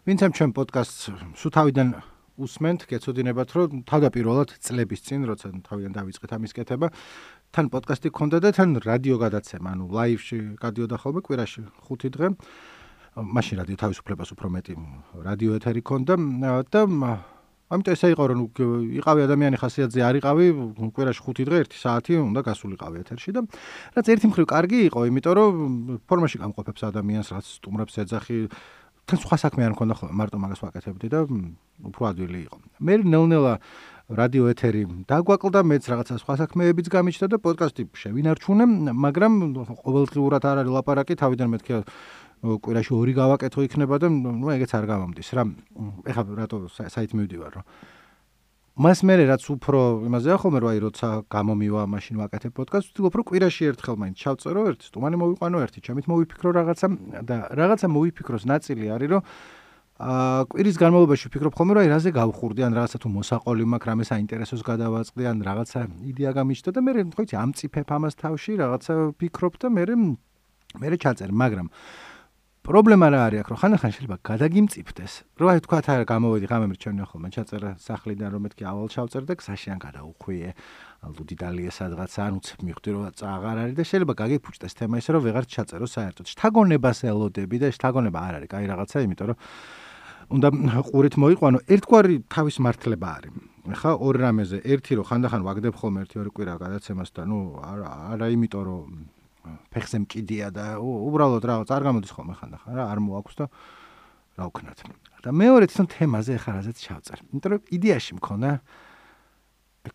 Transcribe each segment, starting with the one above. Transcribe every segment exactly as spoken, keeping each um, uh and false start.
ვინცემ ჩემ პოდკასტს სულ თავიდან უსმენთ, გეცოდინებათ, რომ თავდაპირველად წლების წინ, როცა თავიდან დავიწყეთ ამის კეთება, თან პოდკასტი გქონდა და თან რადიო გადაცემა, ანუ ლაივში გადიოდა ხოლმე კვირაში ხუთი დღე. მაშინ რადიო თავისუფლებას უფრო მეტი რადიო ეთერი ქონდა და ამიტომ ესე იყო, რომ იყავი ადამიანი ხასიათზე არ იყავი, კვირაში ხუთი დღე ერთი საათი უნდა გასულიყავი ეთერში და რაც ერთი მხრივ კარგი იყო, იმიტომ რომ ფორმაში გამყოფებს ადამიანს, რაც სტუმრებს ეძახი, თან სხვა საქმე არ მქონდა ხოლმე, მარტო მაგას ვაკეთებდი და უფრო ადვილი იყო. მე ნელ-ნელა რადიო ეთერი დაგვაკლდა, მეც რაღაცა სხვა საქმეებიც გამიჩნდა და პოდკასტი შევინარჩუნე, მაგრამ ყოველდღიურად არ არის ლაპარაკი, თავიდან მეთქი კვირაში ორი გავაკეთო იქნება და ნუ ეგეც არ გამომდის რა. ეხლა რატო საით მივდივარ, რომ მას მერე რაც უფრო იმაზეა ხოლმე, რომ აი როცა გამომივა, მაშინ ვაკეთებ პოდკასტს, ვთქვი, რომ კვირაში ერთხელ მაინც ჩავწერო, ერთი სტუმარი მოვიყვანო, ერთი ჩემით მოვიფიქრო რაღაცა და რაღაცა მოვიფიქროს ნაწილი არის, რომ აა კვირის განმავლობაში ვფიქრობ ხოლმე, რომ აი რაზე გავხურდი, ან რაღაცა თუ მოსაყოლი მაქვს, რამე საინტერესოს გადავაწყდი, ან რაღაცა იდეა გამიჩნდა და მე ხო იცი ამწიფებ ამას თავში, რაღაცა ვფიქრობ და მე მე ჩაწერ, მაგრამ პრობლემა რა არის აქ, რომ ხანდახან შეიძლება გადაგიმწიფდეს, რომ აი თქვა თა გამოვედი ღამე მრჩევნია ხოლმე, ჩაწერა სახლიდან, რომ მეთქი ავალ ჩავწერ და გზაში ან გადაუხვიე, ალბათ დალია სადღაც, ან უცებ მივხვდი, რომ აღარ არის და შეიძლება გაგიფუჭდეს თემა ისე, რომ ვეღარ ჩაწერო საერთოდ. შთაგონებას ელოდები და შთაგონება არ არის, კაი რაღაცა, იმიტომ რომ უნდა ყურით მოიყვანო, ერთგვარი თავის მართლება არის. ხა ორ რამეზე, ერთი რომ ხანდახან ვაგდებ ხოლმე ერთი ორი კვირა გადაცემას და ნუ არა არა იმიტომ რომ ფეხზე მკიდია და უბრალოდ რაღაც არ გამოდის ხოლმე ხანდახან რა არ მოაქვს და რა ვქნათ. და მეორე თვითონ თემაზე ხარ აზეთ ჩავწერ. იმიტომ რომ იდეაში მქონდა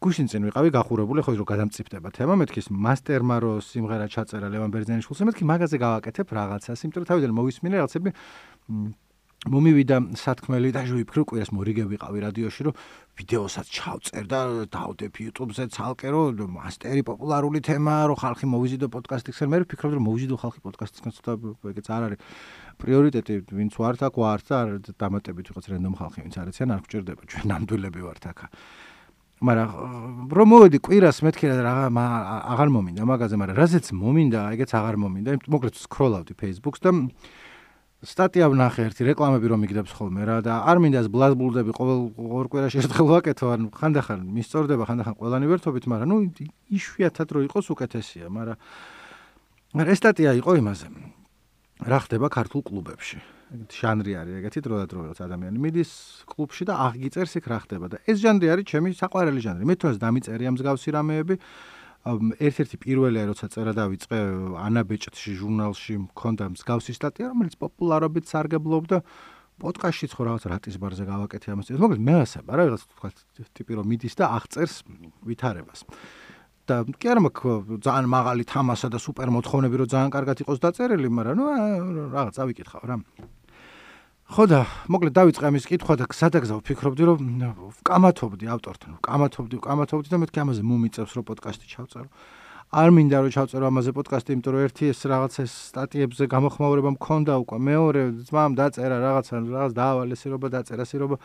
გუშინ წინ ვიყავი გახურებული, ხო რომ გადამწიფდება თემა, მეთქი ის მასტერმა რო სიმღერა ჩაწერა ლევან ბერძენიშვილს, მეთქი მაგაზე გავაკეთებ რაღაცას, იმიტომ რომ თავიდან მოვისმინე რაღაცები მომივიდა სათქმელი და ვიფიქრე კვირას მორიგე ვიყავი რადიოში, რომ ვიდეოსაც ჩავწერ და დავდებ YouTube-ზე ცალკე, რომ მასტერი პოპულარული თემაა, რომ ხალხი მოვიზიდო პოდკასტისგან. მე ვფიქრობ, რომ მოვიზიდო ხალხი პოდკასტისგან, ცოტა ეგეც არ არის პრიორიტეტი, ვინც ვართ აქ, ვართ და არ დამატებით ვიღაც რენდომ ხალხი, ვინც არ იციან, არ გვჭირდება, ჩვენ ნამდვილები ვართ აქ. მაგრამ რომ მოვედი კვირას, მეთქი რა აღარ მომინდა მაგაზე, მაგრამ რაზეც მომინდა, ეგეც აღარ მომინდა. მოკლედ სკროლავდი Facebook-ს და სტატია ვნახე ერთი რეკლამები რომ მიგდებს ხოლმე რა და არ მინდა ეს ბლაზბულდები ყოველ ორ კვირაში ერთხელ ვაკეთო, ან ხანდახან მისწორდება, ხანდახან ყველანი ვერთობით, მაგრამ ნუ იშვიათად რო იყოს უკეთესია, მაგრამ მაგრამ ეს სტატია იყო იმაზე. რა ხდება ქართულ კლუბებში? ეგეთი ჟანრი არის, ეგეთი დროდადრო რაღაც ადამიანი მიდის კლუბში და აღგიწერს იქ რა ხდება და ეს ჟანრი არის ჩემი საყვარელი ჟანრი. მე თვითონაც დამიწერია მსგავსი რამეები. ერთ-ერთი პირველია, როცა წერა დავიწყე ანა ბეჭდში ჟურნალში მქონდა მსგავსი სტატია, რომელიც პოპულარობით სარგებლობდა პოდკასტშიც ხო რაღაც რატისბარზე გავაკეთე ამას. მოკლედ მე ასება რა, რაღაც თქვა ტიპი რომ მიდის და აღწერს ვითარებას. და კი არა მაქვს ძალიან მაღალი თამასა და სუპერ მოთხოვნები, რომ ძალიან კარგად იყოს დაწერილი, მაგრამ ნუ რაღაც ავიკითხავ რა. ხო და მოკლედ დავიწყე ამის კითხვა და სადაგზავ ვფიქრობდი, რომ ვკამათობდი ავტორთან, ვკამათობდი, ვკამათობდი და მეთქი ამაზე მომიწევს, რომ პოდკასტი ჩავწერო. არ მინდა რომ ჩავწერო ამაზე პოდკასტი, იმიტომ რომ ერთი ეს რაღაც ეს სტატიებზე გამოხმაურება მქონდა უკვე, მეორე ძმამ დაწერა რაღაცა, რაღაც დაავალე სირობა, დაწერა სირობა.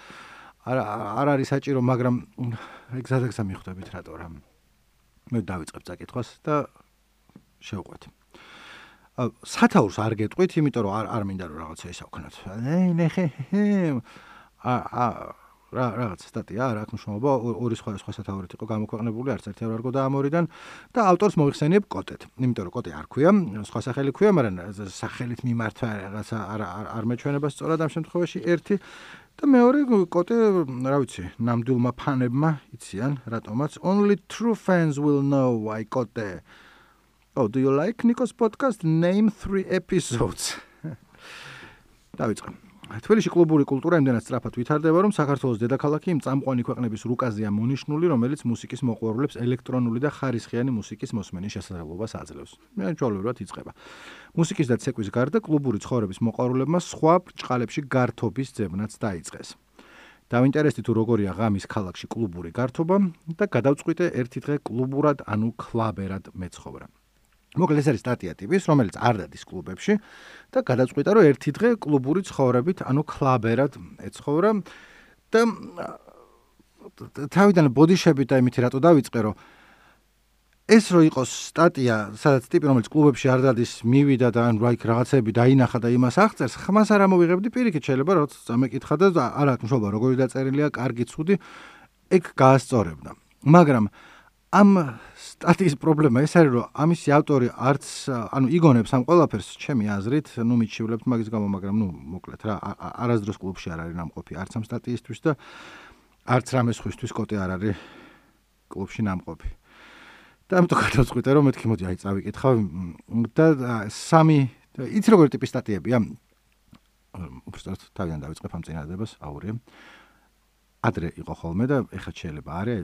არ არ არის საჭირო, მაგრამ ეგ სადაგზა მიხვდებით რატო რა. მე დავიწყებ წაკითხვას და შევყვეთ. სათაურს არ გეტყვით, იმიტომ რომ არ არ მინდა რომ რაღაცა ისე ვქნათ. ნე ნეხე. აა რა რაღაც სტატია არ აქვს მნიშვნელობა, ორი სხვა სხვა სათაურით იყო გამოქვეყნებული, არც ერთი არ არგო და ამ ორიდან და ავტორს მოიხსენიებ კოტეთ. იმიტომ რომ კოტე არ ქვია, სხვა სახელი ქვია, მაგრამ სახელით მიმართვა რაღაცა არ არ მეჩვენება სწორად ამ შემთხვევაში ერთი და მეორე კოტე, რა ვიცი, ნამდვილმა ფანებმა იციან, რატომაც only true fans will know why კოტე. Oh, do you like Nikos podcast? Name three episodes. დავიწყე. თბილისში კლუბური კულტურა იმდენად სწრაფად ვითარდება, რომ საქართველოს დედაქალაქი იმ წამყვანი ქვეყნების რუკაზეა მონიშნული, რომელიც მუსიკის მოყვარულებს ელექტრონული და ხარისხიანი მუსიკის მოსმენის შესაძლებლობას აძლევს. ჩვეულებრივად იწყება. მუსიკის და ცეკვის გარდა კლუბური ცხოვრების მოყვარულებმა სხვა ბრჭყალებში გართობის ძებნაც დაიწყეს. დავინტერესდი თუ როგორია ღამის ქალაქში კლუბური გართობა და გადავწყვიტე ერთი დღე კლუბურად, ანუ კლაბერად მეცხოვრა. მოკლედ ეს არის სტატია ტიპის, რომელიც არ დადის კლუბებში და გადაწყვიტა, რომ ერთი დღე კლუბური ცხოვრებით, ანუ კლაბერად ეცხოვრა და თავიდან ბოდიშებით და იმით რატო დავიწყე, რომ ეს რო იყოს სტატია, სადაც ტიპი რომელიც კლუბებში არ დადის, მივიდა და ან რა იქ რაღაცები დაინახა და იმას აღწერს, ხმას არ ამოვიღებდი პირიქით, შეიძლება რომ წამეკითხა და არ აქვს მშობა, როგორი დაწერილია, კარგი, ცუდი, ეგ გაასწორებდა. მაგრამ ამ სტატიის პრობლემა ეს არის, რომ ამისი ავტორი არც, ანუ იგონებს ამ ყველაფერს, ჩემი აზრით, ნუ მიჩივლებთ მაგის გამო, მაგრამ ნუ მოკლედ რა, არასდროს კლუბში არ არის ნამყოფი, არც ამ სტატიისთვის და არც რამე სხვისთვის კოტე არ არის კლუბში ნამყოფი. და ამიტომ გადავწყვიტე, რომ მეთქი მოდი, აი წავიკითხავ და სამი, იცი როგორი ტიპის სტატიებია? უბრალოდ თავიდან დავიწყებ ამ წინადადებას, აურიე. ადრე იყო ხოლმე და ეხლა შეიძლება არის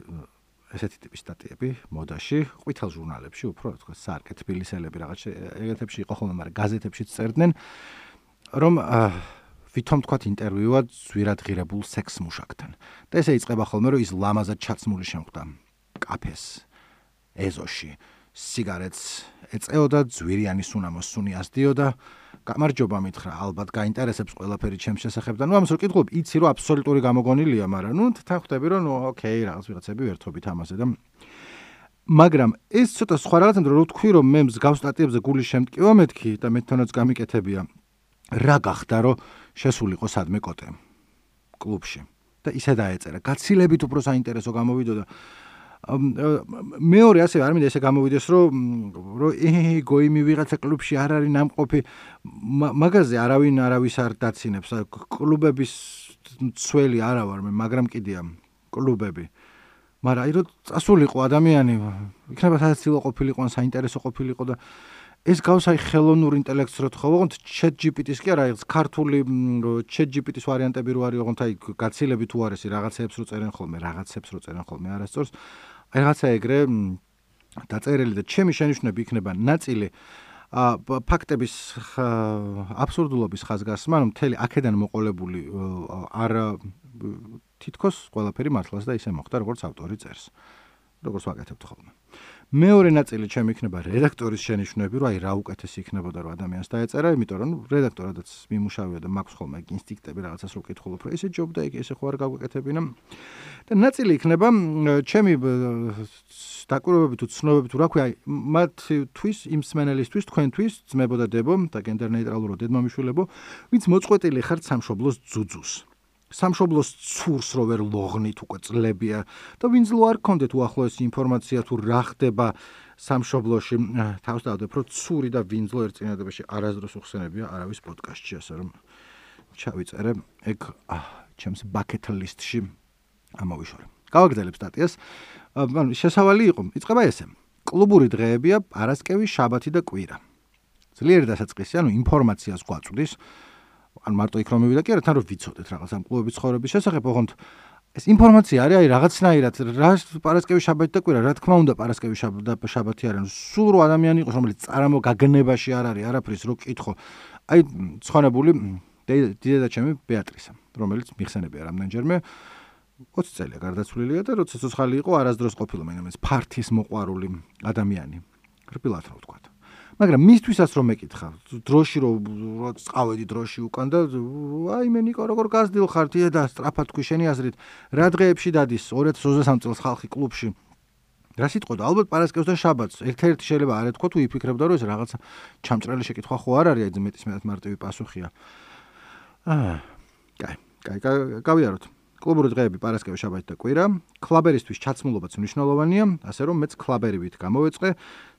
ესეთი ტიპის სტატიები მოდაში, ყვითელ ჟურნალებში, უფრო თქვა სარკე თბილისელები რაღაც ეგეთებში იყო ხოლმე, მაგრამ გაზეთებშიც წერდნენ, რომ ვითომ თქვა ინტერვიუა ზვირად ღირებულ სექს მუშაკთან. და ესე იწყება ხოლმე, რომ ის ლამაზად ჩაცმული შემხვდა კაფეს, ეზოში, სიგარეტს ეწეოდა, ძვირიანი სუნამოს სუნიას დიოდა. გამარჯობა მითხრა, ალბათ გაინტერესებს ყველაფერი ჩემს შესახებ და ნუ ამას რო კითხულობ, იცი რომ აბსოლუტური გამოგონილია, მაგრამ ნუ თან ხვდები რომ ნუ ოკეი, რაღაც ვიღაცები ვერთობით ამაზე და მაგრამ ეს ცოტა სხვა რაღაცა რო თქვი რომ მე მსგავს სტატიებზე გული შემტკივა მეთქი და მე თვითონაც გამიკეთებია. რა გახდა რომ შესულიყო სადმე კოტე კლუბში და ისე დაეწერა. გაცილებით უფრო საინტერესო გამოვიდოდა. მეორე ასევე არ მინდა ესე გამოვიდეს რომ რომ ე გოიმი ვიღაცა კლუბში არ არის ნამყოფი მაგაზე არავინ არავის არ დაცინებს კლუბების ცველი არა ვარ მე მაგრამ კიდია კლუბები მაგრამ აი რომ წასულიყო ადამიანი იქნება სადაც ილო ყოფილიყო ან საინტერესო ყოფილიყო და ეს გავს აი ხელოვნურ ინტელექტს რო თხოვ ოღონდ ChatGPT-ს კი არა ეს ქართული ChatGPT-ს ვარიანტები რო არის ოღონდ აი გაცილებით უარესი რაღაცეებს რო წერენ ხოლმე რაღაცებს რო წერენ ხოლმე არასწორს აი რაღაცა ეგრე დაწერილი და ჩემი შენიშვნები იქნება ნაწილი ფაქტების აბსურდულობის ხაზგასმა რომ მთელი აქედან მოყოლებული არ თითქოს ყველაფერი მართლაც და ისე მოხდა როგორც ავტორი წერს როგორც ვაკეთებთ ხოლმე მეორე ნაწილი ჩემი იქნება რედაქტორის შენიშვნები, რომ აი რა უკეთესი იქნებოდა რომ ადამიანს დაეწერა, იმიტომ რომ რედაქტორადაც მიმუშავია და მაქვს ხოლმე ინსტინქტები რაღაცას რო კითხულობ, რომ ესე ჯობდა იქ ესე ხო არ გაგვეკეთებინა. და ნაწილი იქნება ჩემი დაკვირვებები თუ ცნობები თუ რა ქვია, მათთვის იმ სმენელისთვის, თქვენთვის, ძმებო და დებო და გენდერ ნეიტრალურო დედმამიშვილებო, ვინც მოწყვეტილი ხართ სამშობლოს ძუძუს. სამშობლოს ცურს რო ვერ ლოღნით უკვე წლებია და ვინც ლო არ გქონდეთ უახლოესი ინფორმაცია თუ რა ხდება სამშობლოში თავს დავდებ რომ ცური და ვინძლო ერთ წინადადებაში არასდროს უხსენებია არავის პოდკასტში ასე რომ ჩავიწერე ეგ ჩემს bucket list-ში ამოვიშორე გავაგრძელებ სტატიას ანუ შესავალი იყო იწყება ესე კლუბური დღეებია პარასკევი შაბათი და კვირა ძლიერი დასაწყისი ანუ ინფორმაციას გვაწვდის ან მარტო იქ რომ მივიდა კი არა თან რომ ვიცოდეთ რაღაც ამ კლუბების ცხოვრების შესახებ ოღონდ ეს ინფორმაცია არის აი რაღაცნაირად რა პარასკევი შაბათი და კვირა რა თქმა უნდა პარასკევი შაბათი არის სულ რო ადამიანი იყოს რომელიც წარმოგაგნებაში არ არის არაფრის რო კითხო აი ცხონებული დედაჩემი ბეატრისა რომელიც მიხსენებია რამდენჯერმე ოცი წელია გარდაცვლილია და როცა ცოცხალი იყო არასდროს ყოფილა მაინც ფართის მოყვარული ადამიანი რბილად რო ვთქვა მაგრამ მისთვისაც რომ მეკითხა დროში რომ წავედი დროში უკან და აი მე ნიკო როგორ გასდილხარ თია და სწრაფად თქვი შენი აზრით რა დღეებში დადის ორი ათას ოცდასამი წელს ხალხი კლუბში რა სიტყვა ალბათ პარასკევს და შაბათს ერთ-ერთი შეიძლება არ ეთქვა თუ იფიქრებდა რომ ეს რაღაცა ჩამჭრელი შეკითხვა ხო არ არის აი მეტის მეტად მარტივი პასუხია აა კაი კაი გავიაროთ კლუბური დღეები პარასკევი შაბათი და კვირა კლაბერისთვის ჩაცმულობაც მნიშვნელოვანია ასე რომ მეც კლაბერივით გამოვეწყე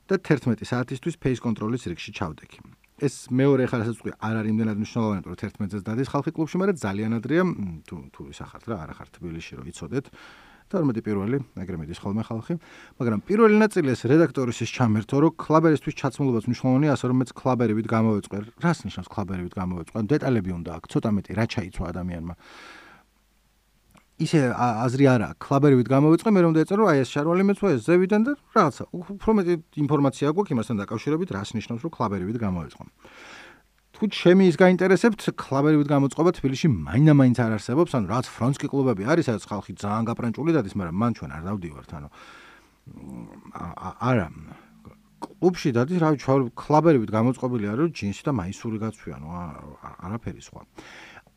და თერთმეტი საათისთვის ფეის კონტროლის რიგში ჩავდექი. ეს მეორე ხარ ასაც ვთქვი, არ არის იმდენად მნიშვნელოვანი, რომ თერთმეტ-ს დადის ხალხი კლუბში, მაგრამ ძალიან ადრეა, თუ თუ ისახართ რა, არა ხართ თბილისში რომ იცოდეთ. დაორმეტი პირველი, ეგრე მიდის ხოლმე ხალხი. მაგრამ პირველი ნაწილი ეს რედაქტორის ის ჩამერთო, რომ კლაბერისთვის ჩაცმულობაც მნიშვნელოვანია, ასე რომ მეც კლაბერივით გამოვეწყე. რას ნიშნავს კლაბერივით გამოვეწყე? დეტალები უნდა აქვს, ცოტა მეტი რა ჩაიცვა ადამიანმა. ისე აზრი არა, კლაბერივით გამოვიწყე, მე რომ დაეწერო, აი ეს შარვალი მეცვა ეს ზევიდან და რაღაცა. უფრო მეტი ინფორმაცია გვაქვს იმასთან დაკავშირებით, რას ნიშნავს, რომ კლაბერივით გამოვიწყო. თუ ჩემი ის გაინტერესებთ, კლაბერივით გამოწყობა თბილისში მაინდა-მაინც არ არსებობს, ანუ რაც ფრონსკი კლუბები არის, სადაც ხალხი ძალიან გაპრანჭული დადის, მაგრამ მან ჩვენ არ დავდივართ, ანუ არა. კლუბში დადის, რა ვიცი, კლაბერივით გამოწყობილი არის, რომ ჯინსი და მაისური გაცვი, ანუ არაფერი სხვა.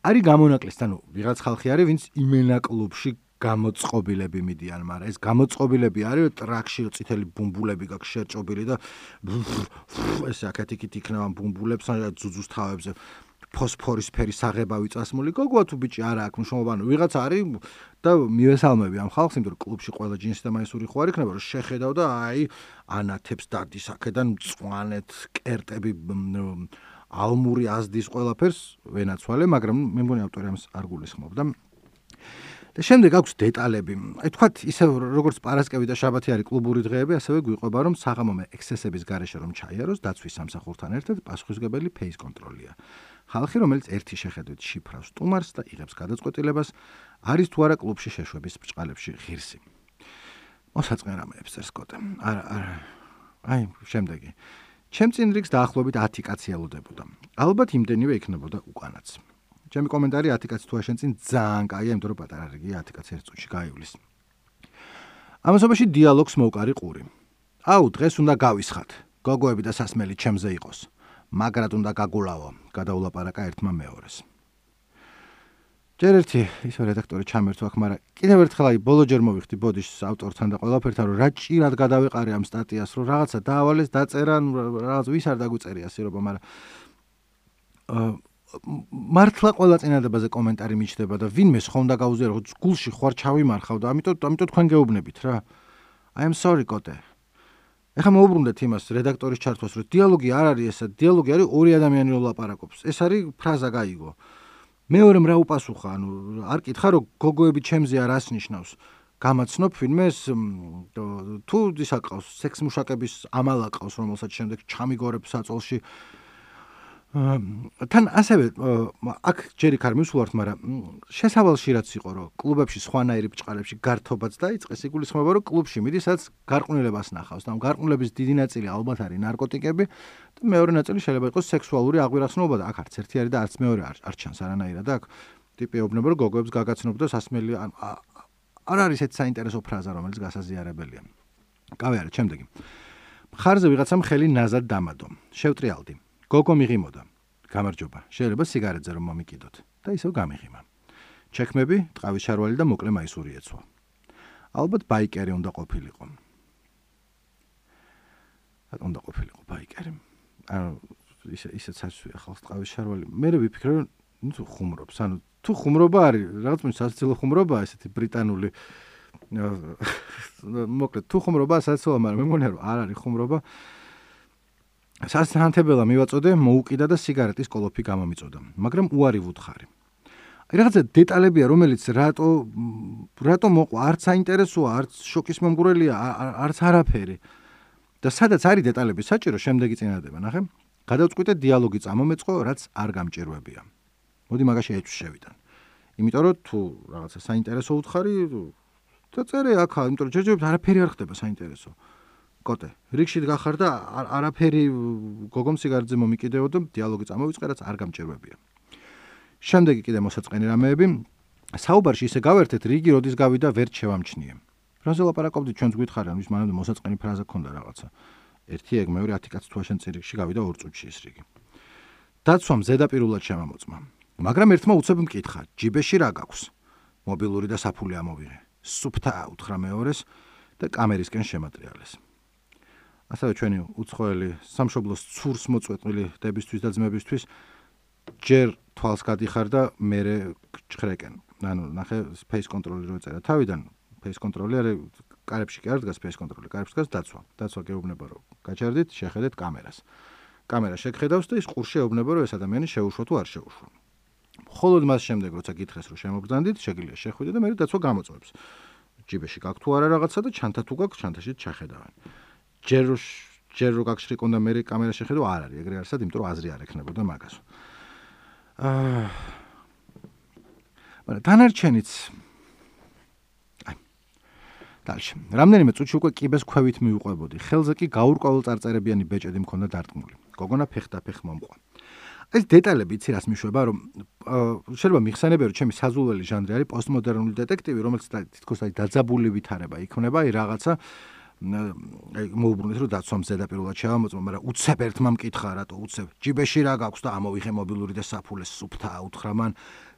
არის გამონაკლისი, ანუ ვიღაც ხალხი არის, ვინც იმენა კლუბში გამოწყობილები მიდიან, მაგრამ ეს გამოწყობილები არის ტრაქში წითელი ბუმბულები გაქვს შერჭობილი და ეს აკეთიკით იქნება ბუმბულებს ან ძუძუს თავებზე ფოსფორის ფერის აღებავი წასმული. გოგოა თუ ბიჭი არა აქვს მნიშვნელობა, ანუ ვიღაც არის და მივესალმები ამ ხალხს, იმიტომ რომ კლუბში ყველა ჯინსი და მაისური ხო არ იქნება, რომ შეხედავ და აი ანათებს დადის აქედან მწვანეთ კერტები ალმური აზდის ყველაფერს ვენაცვალე, მაგრამ მე მგონი ავტორი ამას არ გულისხმობდა. და შემდეგ აქვს დეტალები. აი თქვათ ისე როგორც პარასკევი და შაბათი არის კლუბური დღეები, ასევე გვიყვება რომ საღამომე ექსესების გარეშე რომ ჩაიაროს დაცვის სამსახურთან ერთად პასუხისმგებელი ფეის კონტროლია. ხალხი რომელიც ერთი შეხედვით შიფრავს სტუმარს და იღებს გადაწყვეტილებას, არის თუ არა კლუბში შეშვების ბრჭყალებში ღირსი. მოსაწყენრამეებს წერს კოტე. არა, არა. აი, შემდეგი. ჩემ წინ რიგს დაახლოებით ათი კაცი ელოდებოდა. ალბათ იმდენივე იქნებოდა უკანაც. ჩემი კომენტარი ათი კაცი თუ შენ წინ ძალიან კაია, იმიტომ რომ პატარა რიგია ათი კაცი ერთ წუთში გაივლის. ამასობაში დიალოგს მოვკარი ყური. აუ, დღეს უნდა გავისხათ. გოგოები და სასმელი ჩემზე იყოს. მაგრად უნდა გაგულავო, გადაულაპარაკა ერთმა მეორეს. ჯერ ერთი ისო რედაქტორი ჩამერთვა აქ, მაგრამ კიდევ ერთხელ აი ბოლოჯერ მოვიხდი ბოდიშს ავტორთან და ყველაფერთან, რომ რა ჭირად გადავიყარე ამ სტატიას, რომ რაღაცა დაავალეს, დაწერა, რაღაც ვის არ დაგვიწერია სირობა, მაგრამ აა მართლა ყველა წინადებაზე კომენტარი მიჩნდება და ვინმე ხონდა გაუზიარო, რომ გულში ხوار ჩავიმარხავ და ამიტომ ამიტომ თქვენ გეუბნებით რა. I am sorry კოტე. ეხლა მოუბრუნდეთ იმას რედაქტორის ჩართვას, რომ დიალოგი არ არის ესა, დიალოგი არის ორი ადამიანი ლაპარაკობს. ეს არის ფრაზა გაიგო. მეორემ რა უპასუხა, ანუ არ კითხა რომ გოგოები ჩემზეა რას ნიშნავს. გამაცნობ ვინმეს თუ ისა ყავს სექს მუშაკების ამალა ყავს, რომელსაც შემდეგ ჩამიგორებს საწოლში. თან ასევე აქ ჯერ იქ არ მივსულართ, მაგრამ შესავალში რაც იყო, რომ კლუბებში სხვანაირი ბრჭყალებში გართობაც დაიწყეს, იგულისხმება, რომ კლუბში მიდის, სადაც გარყვნილებას ნახავს. და ამ გარყვნილების დიდი ნაწილი ალბათ არის ნარკოტიკები და მეორე ნაწილი შეიძლება იყოს სექსუალური აღვირახსნობა და აქ არც ერთი არის და არც მეორე არ ჩანს არანაირად. აქ ტიპი ეუბნება, რომ გოგოებს გაგაცნობ და სასმელი არ არის ეს საინტერესო ფრაზა, რომელიც გასაზიარებელია. კავე არა, შემდეგი. მხარზე ვიღაცამ ხელი ნაზად დამადო. შევტრიალდი. გოგო მიღიმოდა. გამარჯობა. შეიძლება სიგარეტზე რომ მომიკიდოთ და ისევ გამიღიმა. ჩექმები, ტყავის შარვალი და მოკლე მაისური ეცვა. ალბათ ბაიკერი უნდა ყოფილიყო. რატომ უნდა ყოფილიყო ბაიკერი? ანუ ისე ისეც ასვია ხალხს ტყავის შარვალი. მე ვიფიქრე, რომ ნუ ხუმრობს. ანუ თუ ხუმრობა არის, რაღაც მის სასაცილო ხუმრობაა ესეთი ბრიტანული. მოკლედ თუ ხუმრობაა სასაცილო, მაგრამ მე მგონია რომ არ არის ხუმრობა. სასანთებელა მივაწოდე, მოუკიდა და სიგარეტის კოლოფი გამომიწოდა, მაგრამ უარი ვუთხარი. აი რაღაცა დეტალებია, რომელიც რატო რატო მოყვა, არც საინტერესოა, არც შოკის მომგვრელია, არც არაფერი. და სადაც არის დეტალები საჭირო, შემდეგი წინადადება, ნახე. გადავწყვიტე დიალოგი წამომეწყო, რაც არ გამჭირვებია. მოდი მაგაში ეჭვს შევიდან. იმიტომ რომ თუ რაღაცა საინტერესო უთხარი და წერე აქა, იმიტომ რომ ჯერჯერობით არაფერი არ ხდება საინტერესო. კოტე, რიგში გახარ და არაფერი გოგომ სიგარეტზე მომიკიდეო და დიალოგი წამოვიწყე, რაც არ გამჭირვებია. შემდეგი კიდე მოსაწყენი რამეები. საუბარში ისე გავერთეთ, რიგი როდის გავიდა ვერ შევამჩნიე. ფრაზე ლაპარაკობდით, ჩვენც გითხარიან, ვის მანამდე მოსაწყენი ფრაზა ქონდა რაღაცა. ერთი ეგ, მეორე ათი კაცი თუ შენ წირიგში გავიდა ორ წუთში ეს რიგი. დაცვამ ზედაპირულად შემამოწმა. მაგრამ ერთმა უცებ მკითხა, ჯიბეში რა გაქვს? მობილური და საფული ამოვიღე. სუფთა უთხრა მეორეს და კამერისკენ შემატრიალეს. ასევე ჩვენი უცხოელი სამშობლოს ცურს მოწვეტყვილი დებისთვის და ძმებისთვის ჯერ თვალს გადიხარ და მერე ჭხრეკენ. ანუ ნახე face control-ი რო ეწერა თავიდან, face control-ი არის კარებში კი არ დგას face control-ი, კარებში დგას დაცვა. დაცვა გეუბნება რომ გაჩერდით, შეხედეთ კამერას. კამერა შეგხედავს და ის ყურში ეუბნება რომ ეს ადამიანი შეუშვა თუ არ შეუშვა. მხოლოდ მას შემდეგ როცა გითხრეს რომ შემოგბრძანდით, შეგიძლია შეხვიდე და მერე დაცვა გამოწვევს. ჯიბეში გაქვს თუ არა რაღაცა და ჩანთა თუ გაქვს, ჩანთაში ჩახედავენ. ჯერ ჯერ რო გაგშრიკონ და მე კამერა შეხედო არ არის ეგრე არსად, იმიტომ რომ აზრი არ ექნებოდა მაგას. აა მაგრამ დანარჩენიც აი დალში რამდენიმე წუთში უკვე კიბეს ქვევით მივუყვებოდი. ხელზე კი გაურკვეველ წარწერებიანი ბეჭედი მქონდა დარტყმული. გოგონა ფეხდაფეხ მომყვა. ეს დეტალები იცი რას მიშვება, რომ შეიძლება მიხსენებია რომ ჩემი საზულველი ჟანრი არის პოსტმოდერნული დეტექტივი, რომელიც თითქოს აი დაძაბული ვითარება იქნება, აი რაღაცა აი მოუბრუნეთ რომ დაცვამ ზედაპირულად შევამოწმო, მაგრამ უცებ ერთმა მკითხა რატო უცებ ჯიბეში რა გაქვს და ამოვიხე მობილური და საფულე სუფთა აუთხრა მან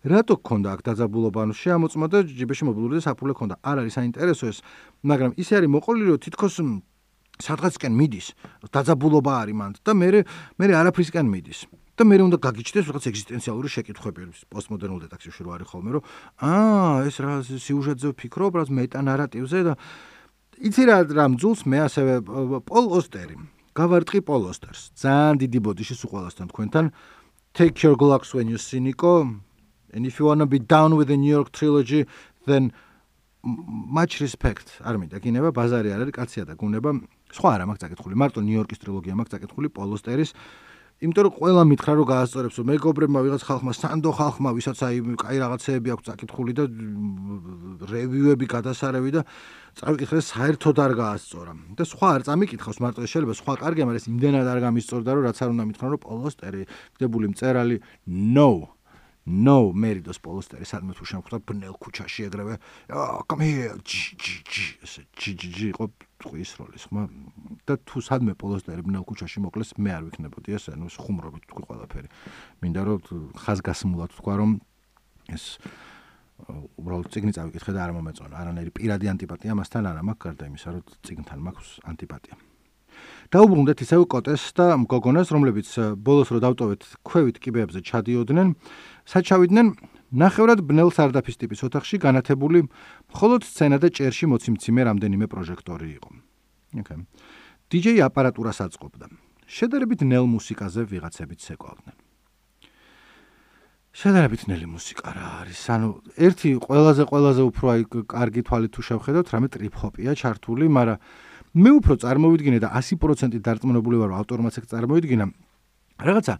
რატო გქონდა აქ დაძაბულობა ანუ შეამოწმა და ჯიბეში მობილური და საფულე ქონდა არ არის საინტერესო ეს მაგრამ ისე არის მოყოლი რომ თითქოს სადღაცკენ მიდის დაძაბულობა არის მანდ და მე მე არაფრისკენ მიდის და მე უნდა გაგიჩნდეს რაღაც ეგზისტენციალური შეკითხვები პოსტმოდერნულ დეტექტივში რო არის ხოლმე რომ აა ეს რა სიუჟეტზე ვფიქრობ რა მეტა ნარატივზე და იცი რა რა მძულს მე ასევე პოლ ოსტერი გავარტყი პოლ ოსტერს ძალიან დიდი ბოდიში სულ ყველასთან თქვენთან Take Your Glocks When You See Nico and if you want to be down with the New York trilogy then much respect არ მინდა გინება ბაზარი არ არის კაცია და გუნება სხვა არა მაქვს წაკითხული მარტო ნიუ-იორკის ტრილოგია მაქვს წაკითხული პოლ ოსტერის იმიტომ რომ ყველა მითხრა რომ გაასწორებს რომ მეგობრებმა ვიღაც ხალხმა სანდო ხალხმა ვისაც აი კაი რაღაცეები აქვს წაკითხული და რევიუები გადასარევი და წავიკითხეს საერთოდ არ გაასწორა და სხვა არ წამიკითხავს მარტო ეს შეიძლება სხვა კარგია მაგრამ ეს იმდენად არ გამისწორდა რომ რაც არ უნდა მითხრა რომ პოლ ოსტერი გდებული მწერალი no No, მერიდოს პოლ ოსტერი სადმე თუ შემხვდა ბნელ ქუჩაში ეგრევე come here ჯი ჯი ჯი იყო ტყვის როლის ხმა და თუ სადმე პოლ ოსტერი ბნელ ქუჩაში მოკლეს მე არ ვიქნებოდი ესე ნუ ხუმრობით თქვი ყველაფერი მინდა რომ ხაზგასმულად თქვა რომ ეს უბრალოდ წიგნი წავიკითხე და არ მომეწონა არანაირი პირადი ანტიპატია მასთან არ მაქვს გარდა იმისა რომ წიგნთან მაქვს ანტიპატია დაუბრუნდეთ ისევ კოტეს და გოგონას რომლებიც ბოლოს რო დავტოვეთ ქვევით კიბეებზე ჩადიოდნენ საჩავიდნენ ნახევრად ბნელ სარდაფის ტიპის ოთახში განათებული მხოლოდ სცენა და ჭერში მოციმციმე რამდენიმე პროჟექტორი იყო. ოკეი. დიჯეი აპარატურას აწყობდა. შედარებით ნელ მუსიკაზე ვიღაცებით ცეკვავდნენ. შედარებით ნელი მუსიკა რა არის? ანუ ერთი ყველაზე ყველაზე უფრო აი კარგი თვალით თუ შევხედოთ, რამე ტრიპ-ჰოპია ჩართული, მაგრამ მე უფრო წარმოვიდგინე და ასი პროცენტი დარწმუნებული ვარ, ავტორმაც ეგ წარმოვიდგინა. რაღაცა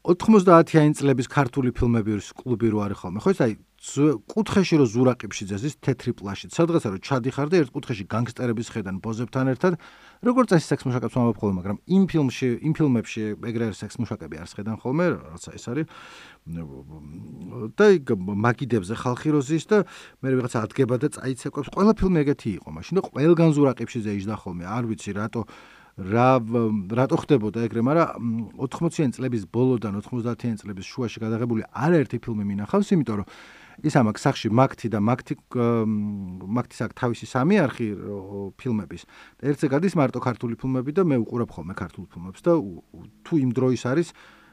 ოთხმოცდაათიანი წლების ქართული ფილმების კლუბი რო არის ხოლმე. ხო ეს აი კუთხეში რო ზურაყიფში ძეს თეთრი პლაშით. სადღაცა რო ჩადიხარ და ერთ კუთხეში განგსტერების ხედან ბოზებთან ერთად, როგორც წესი სექს მუშაკებს ვამბობ ხოლმე, მაგრამ იმ ფილმში, იმ ფილმებში ეგრე სექს მუშაკები არ შეხედან ხოლმე, რაცა ეს არის. და იქ მაგიდებზე ხალხი როზის და მე ვიღაცა ადგება და წაიცეკვებს. ყველა ფილმი ეგეთი იყო. მაშინ და ყველგან ზურაყიფში ზეიჯდა ხოლმე. არ ვიცი რატო რა რატო ხდებოდა ეგრე, მაგრამ ოთხმოციანი წლების ბოლოდან ოთხმოცდაათიანი წლების შუაში გადაღებული არაერთი ფილმი მინახავს, იმიტომ რომ ის ამაკ სახში მაგთი და მაგთი მაგთის აქ თავისი სამი არხი ფილმების. ერთზე გადის მარტო ქართული ფილმები და მე უყურებ ხოლმე ქართულ ფილმებს და თუ იმ დროის არის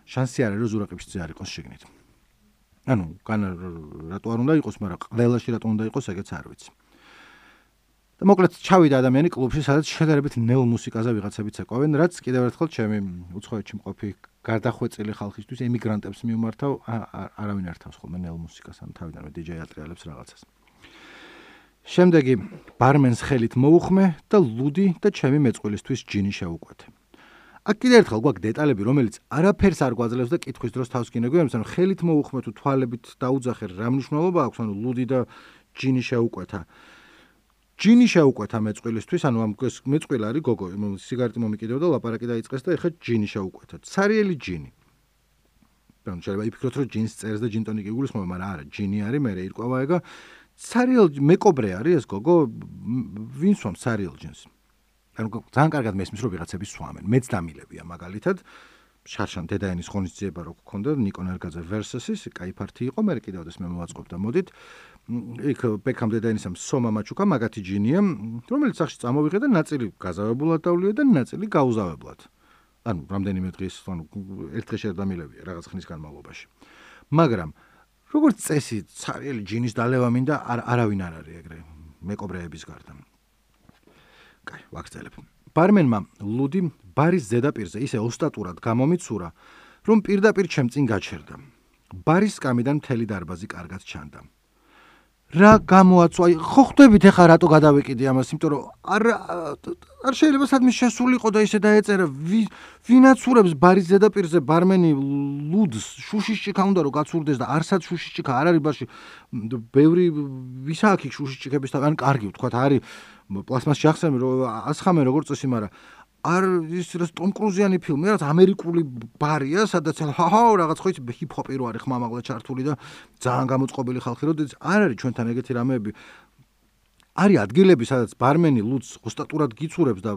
შანსი არის რომ ზურაყიფში არ იყოს შეგნით. ანუ განა რატო არ უნდა იყოს, მაგრამ ყველაში რატო უნდა იყოს, ეგეც არ ვიცი. და მოკლედ ჩავიდა ადამიანი კლუბში, სადაც შედარებით ნელ მუსიკაზე ვიღაცებით ცეკვავენ, რაც კიდევ ერთხელ ჩემი უცხოეთში მყოფი გარდახვეწილი ხალხისთვის ემიგრანტებს მიუმართავ, არავინ არ თავს ხოლმე ნელ მუსიკას, ან თავიდანვე დიჯეი ატრიალებს რაღაცას. შემდეგი ბარმენს ხელით მოუხმე და ლუდი და ჩემი მეწყვილისთვის ჯინი შევუკვეთე. აქ კიდევ ერთხელ გვაქვს დეტალები, რომელიც არაფერს არ გვაძლევს და კითხვის დროს თავს გინეგვიანებს, ანუ ხელით მოუხმე თუ თვალებით დაუძახე რა მნიშვნელობა აქვს, ანუ ლუდი და ჯინი შევუკვეთა. ჯინი შევუკვეთა მეწყვილისთვის, ანუ ამ მეწყვილ არის გოგო, სიგარეტი მომიკიდეო და ლაპარაკი დაიწყეს და ეხლა ჯინი შევუკვეთა. ცარიელი ჯინი. ანუ შეიძლება იფიქროთ, რომ ჯინს წერს და ჯინტონიკი იგულისხმება, მაგრამ არა, ჯინი არის, მე ირკვევა ეგა. ცარიელ მეკობრე არის ეს გოგო, ვინ სვამს ცარიელ ჯინს? ანუ ძალიან კარგად მესმის, რომ ვიღაცები სვამენ. მეც დამილებია მაგალითად. შარშან დედაენის ღონისძიება რო გქონდა, ნიკო ნარგაძე versus-ის, კაი ფარტი იყო, მე კიდევაც მე მოვაწყობ და მოდით. იქ ბექამ დედაენისამ სომა მაჩუკა მაგათი ჯინია, რომელიც სახში წამოვიღე და ნაწილი გაზავებულად დავლია და ნაწილი გაუზავებლად. ანუ რამდენიმე დღის, ანუ ერთ დღეში არ დამილებია რაღაც ხნის განმავლობაში. მაგრამ როგორც წესი, ცარიელი ჯინის დალევა მინდა არავინ არ არის ეგრე მეკობრეების გარდა. კაი, ვაგრძელებ. ბარმენმა ლუდი ბარის ზედაპირზე ისე ოსტატურად გამომიცურა, რომ პირდაპირ ჩემ წინ გაჩერდა. ბარის სკამიდან მთელი დარბაზი კარგად ჩანდა. რა გამოაცვა, ხო ხვდებით ეხა რატო გადავეკიდე ამას, იმიტომ რომ არ არ შეიძლება სადმე შესულიყო და ისე დაეწერა, ვინაცურებს ბარის ზედაპირზე ბარმენი ლუდს, შუშიშჩიკა უნდა რომ გაცურდეს და არსად შუშიშჩიკა არ არის ბარში, ბევრი ვისა აქ იქ შუშიშჩიკების თან კარგი ვთქვათ, არის პლასმასში ახსენე რომ ასხამენ როგორც წესი, მაგრამ არ ის ტომ კრუზიანი ფილმი, რაც ამერიკული ბარია, სადაც ჰაჰა რაღაც ხო იცი ჰიპ-ჰოპი რო არის ხმამაღლა ჩართული და ძალიან გამოწყობილი ხალხი, როდესაც არ არის ჩვენთან ეგეთი რამეები. არის ადგილები, სადაც ბარმენი ლუდს ოსტატურად გიცურებს და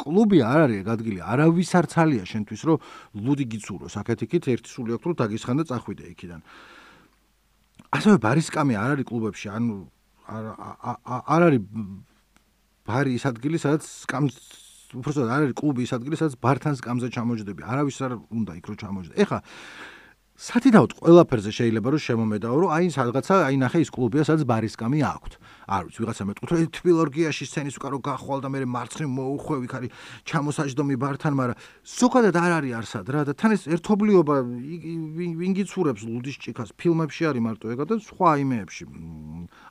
კლუბი არ არის ეგ ადგილი, არავის არ ცალია შენთვის, რომ ლუდი გიცუროს. აქეთ-იქით ერთი სული აქვს, რომ დაგისხან და წახვიდე იქიდან. ასევე ბარისკამი არ არის კლუბებში, ანუ არ არ არის ბარი ის ადგილი, სადაც სკამს უბრალოდ არ არის კლუბი ის ადგილი, სადაც ბართან სკამზე ჩამოჯდები. არავის არ უნდა იქ რომ ჩამოჯდე. ეხლა სათიდაოდ ყველაფერზე შეიძლება რომ შემომედაო, რომ აი სადღაცა აი ნახე ის კლუბია, სადაც ბარისკამი აქვს. არ ვიცი, ვიღაცა მეტყვით, რომ თბილორგიაში სცენის უკან რო გახვალ და მე მარცხნივ მოუხვევ, იქ არის ჩამოსაჯდომი ბართან, მაგრამ ზოგადად არ არის არსად რა და თან ეს ერთობლიობა ვინ გიცურებს ლუდის ჭიქას, ფილმებში არის მარტო ეგა და სხვა იმეებში,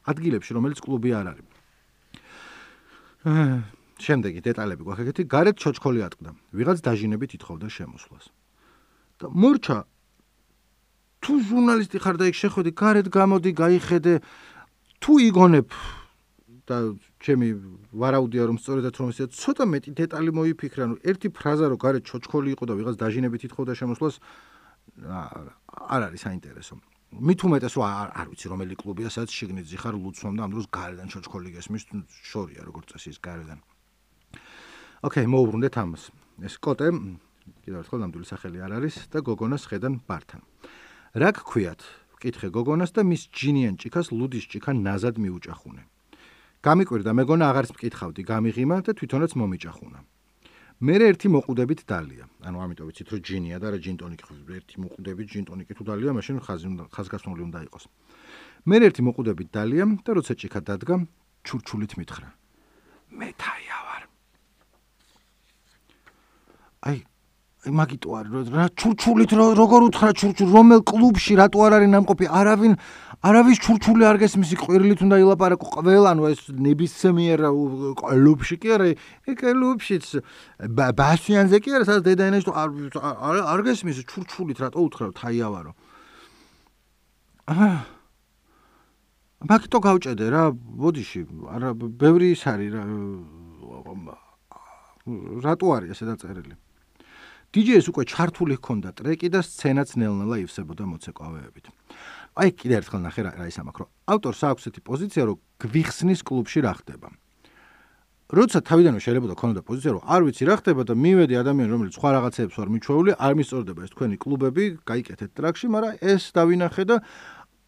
ადგილებში, რომელიც კლუბი არ არის. შემდეგი დეტალები გვაქვს ეგეთი, გარეთ ჩოჩქოლი ატყდა. ვიღაც დაჟინებით ითხოვდა შემოსვლას. და მორჩა თუ ჟურნალისტი ხარ და იქ შეხვედი, გარეთ გამოდი, გაიხედე, თუ იგონებ და ჩემი ვარაუდია რომ სწორედაც რომ ისე ცოტა მეტი დეტალი მოიფიქრე, ანუ ერთი ფრაზა რომ გარეთ ჩოჩქოლი იყო და ვიღაც დაჟინებით ითხოვდა შემოსვლას, არ არის საინტერესო. მით უმეტეს რომ არ ვიცი რომელი კლუბია, სადაც შიგნით ზიხარ ლუცვამ და ამ დროს გარედან ჩოჩქოლი გესმის, შორია როგორც წესი ის გარედან. ოკეი, მოუბრუნდეთ ამას. ეს კოტე, კიდევ ერთხელ ნამდვილი სახელი არ არის და გოგონას ხედან ბართან. რა გქვიათ? ვკითხე გოგონას და მის ჯინიან ჭიქას ლუდის ჭიქა ნაზად მიუჭახუნე. გამიკვირდა მეგონა აღარც მკითხავდი, გამიღიმა და თვითონაც მომიჭახუნა. მერე ერთი მოყუდებით დალია. ანუ ამიტომ ვიცით რომ ჯინია და რა ჯინტონიკი ერთი მოყუდებით ჯინტონიკი თუ დალია, მაშინ ხაზი ხაზგასმული უნდა იყოს. მერე ერთი მოყუდებით დალია და როცა ჭიქა დადგა, ჩურჩულით მითხრა. მე თაია ვარ. აი მაგიტო არის რა ჩურჩულით როგორ უთხრა ჩურჩულ რომელ კლუბში რატო არ არის ნამყოფი არავინ არავის ჩურჩული არ გესმის ყვირილით უნდა ილაპარაკო ყველა ანუ ეს ნებისმიერ კლუბში კი არა ეგ კლუბშიც ბასიანზე კი არა სადაც დედაენაში არ არ გესმის ჩურჩულით რატო უთხრა თაიავარო აა მაგიტო გავჭედე რა ბოდიში არა ბევრი ის არის რა რატო არის ესე დაწერილი დიჯეის უკვე ჩართული ჰქონდა ტრეკი და სცენაც ნელ-ნელა ივსებოდა მოცეკვავეებით. აი კიდე ერთხელ ნახე რა ის ამაკრო. ავტორს აქვს ესეთი პოზიცია, რომ გვიხსნის კლუბში რა ხდება. როცა თავიდანვე შეიძლება ქონოდა პოზიცია, რომ არ ვიცი რა ხდება და მივედი ადამიანი, რომელიც სხვა რაღაცებს ვარ მიჩვეული, არ მისწორდება ეს თქვენი კლუბები, გაიკეთეთ ტრაქში, მაგრამ ეს დავინახე და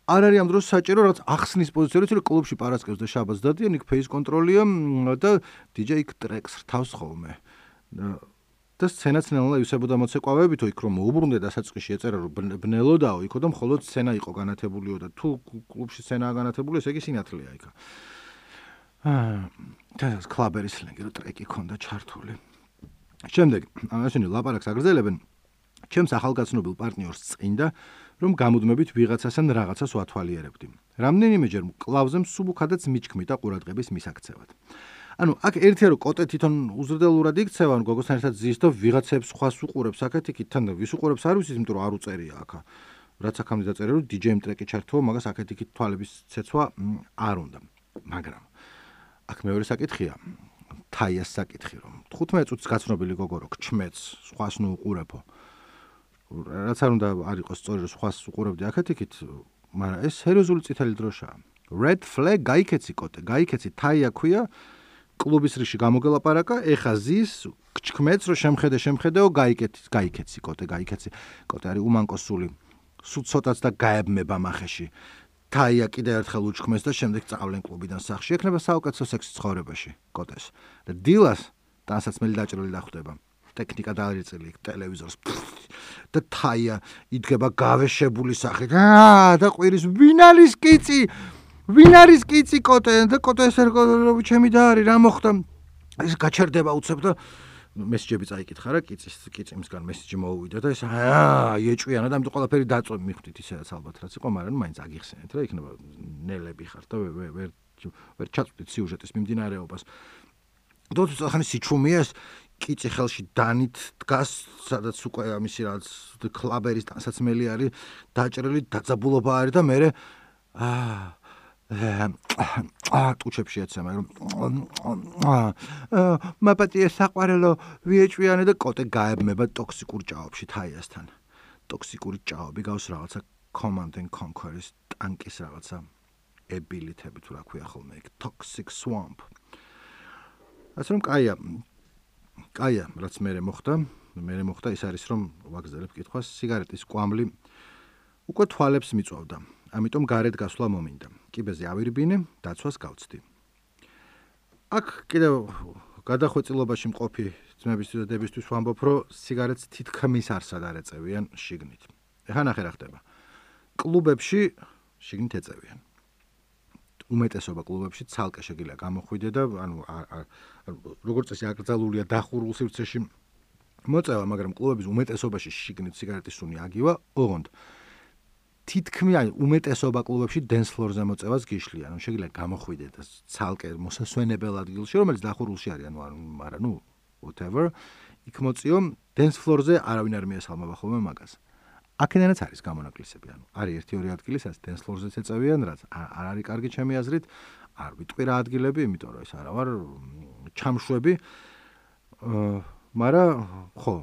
არ არის ამ დროს საჭირო რაც ახსნის პოზიცია, რომ კლუბში პარასკევს და შაბათს დადიან, იქ ფეის კონტროლია და დიჯეი იქ ტრეკს რთავს ხოლმე. და სცენაც ნელა ივსებოდა მოცეკვავეებით, იქ რომ მოუბრუნდე დასაწყისში ეწერა რომ ბნელოდაო, იქო და მხოლოდ სცენა იყო განათებულიო და თუ კლუბში სცენაა განათებული, ესე იგი სინათლეა იქა. აა, და კლაბერის სლენგი რო ტრეკი ქონდა ჩართული. შემდეგ, ამაშენი ლაპარაკს აგრძელებენ, ჩემს ახალგაცნობილ პარტნიორს წინდა, რომ გამუდმებით ვიღაცასთან რაღაცას ვათვალიერებდი. რამდენიმეჯერ მკლავზე მსუბუქადაც მიჩქმი და ყურადღების მისაქცევად. ანუ აქ ერთია რომ კოტე თვითონ უზრდელურად იქცევა, ანუ გოგოსთან ერთად ზის და ვიღაცებს სხვას უყურებს აქეთ-იქით, თან ვის უყურებს არ ვიცით, იმიტომ რომ არ უწერია აქ. რაც აქამდე დაწერე რომ დიჯეიმ ტრეკი ჩართო, მაგას აქეთ-იქით თვალების ცეცვა არ უნდა. მაგრამ აქ მეორე საკითხია, თაიას საკითხი რომ თხუთმეტ წუთს გაცნობილი გოგო რო გჩმეც, სხვას ნუ უყურებო. რაც არ უნდა არ იყოს სწორი რომ სხვას უყურებდი აქეთ-იქით, მაგრამ ეს სერიოზული წითელი დროშაა. Red flag გაიქეცი კოტე, გაიქეცი თაია ქვია. კლუბის რიში გამოგელაპარაკა, ეხა ზის, გჩქმეც რომ შემხედე, შემხედეო, გაიკეთი, გაიქეცი კოტე, გაიქეცი. კოტე არის უმანკოსული. სულ ცოტაც და გაებმება მახეში. თაია კიდე ერთხელ უჩქმეს და შემდეგ წავლენ კლუბიდან სახში. ექნება საუკეთესო სექსი ცხოვრებაში კოტეს. და დილას ტანსაცმელი დაჭრილი დახვდება. ტექნიკა დაარიწილი ტელევიზორს. და თაია იდგება გავეშებული სახით. აა და ყვირის ვინ არის კიცი? ვინ არის კიცი კოტე და კოტე ეს რომ ჩემი და არის რა მოხდა ეს გაჩერდება უცებ და მესიჯები წაიკითხა რა კიცის კიციმსგან მესიჯი მოუვიდა და ეს აა ეჭვიანა და ამიტომ ყველაფერი დაწვე მიხვდით ისედაც ალბათ რაც იყო მაგრამ მაინც აგიხსენეთ რა იქნება ნელები ხარ და ვერ ვერ ვერ ჩაწვდით სიუჟეტის მიმდინარეობას დოთ ახალი სიჩუმია ეს კიცი ხელში დანით დგას სადაც უკვე ამისი რაც კლაბერის ტანსაცმელი არის დაჭრილი დაძაბულობა არის და მე აა აა ტუჩებში ეცემა რომ აა მაპატია საყვარელო ვიეჭვიანე და კოტე გაებმება ტოქსიკურ ჭაობში ებილითები თუ რა ქვია ხოლმე ეგ toxic swamp. ასე რომ კაია კაია რაც მე მოხდა მე მოხდა ის არის რომ ვაგზავნებ კითხვას სიგარეტის კვამლი უკვე თვალებს მიწვავდა. ამიტომ გარეთ გასვლა მომინდა. კიბეზე ავირბინე, დაცვას გავცდი. აქ კიდევ გადახვეწილობაში მყოფი ძმების და დებისთვის ვამბობ, რომ სიგარეტს თითქმის არსად არ ეწევიან შიგნით. ეხლა ნახე რა ხდება. კლუბებში შიგნით ეწევიან. უმეტესობა კლუბებში ცალკე შეგიძლია გამოხვიდე და ანუ როგორც წესი აკრძალულია დახურულ სივრცეში მოწევა, მაგრამ კლუბების უმეტესობაში შიგნით სიგარეტის სუნი აგივა, ოღონდ თითქმის უმეტესობა კლუბებში dance floor-ზე მოწევას გიშლიან. ანუ შეგიძლია გამოხვიდე და ცალკე მოსასვენებელ ადგილში, რომელიც დახურულში არის, ანუ არა, ნუ whatever, იქ მოწიო dance floor-ზე არავინ არ მიესალმება ხოლმე მაგას. აქედანაც არის გამონაკლისები, ანუ არის ერთი ორი ადგილი, სადაც dance floor-ზეც ეწევიან, რაც არ არის კარგი ჩემი აზრით, არ ვიტყვი რა ადგილები, იმიტომ რომ ეს არა ვარ ჩამშვები. მაგრამ ხო,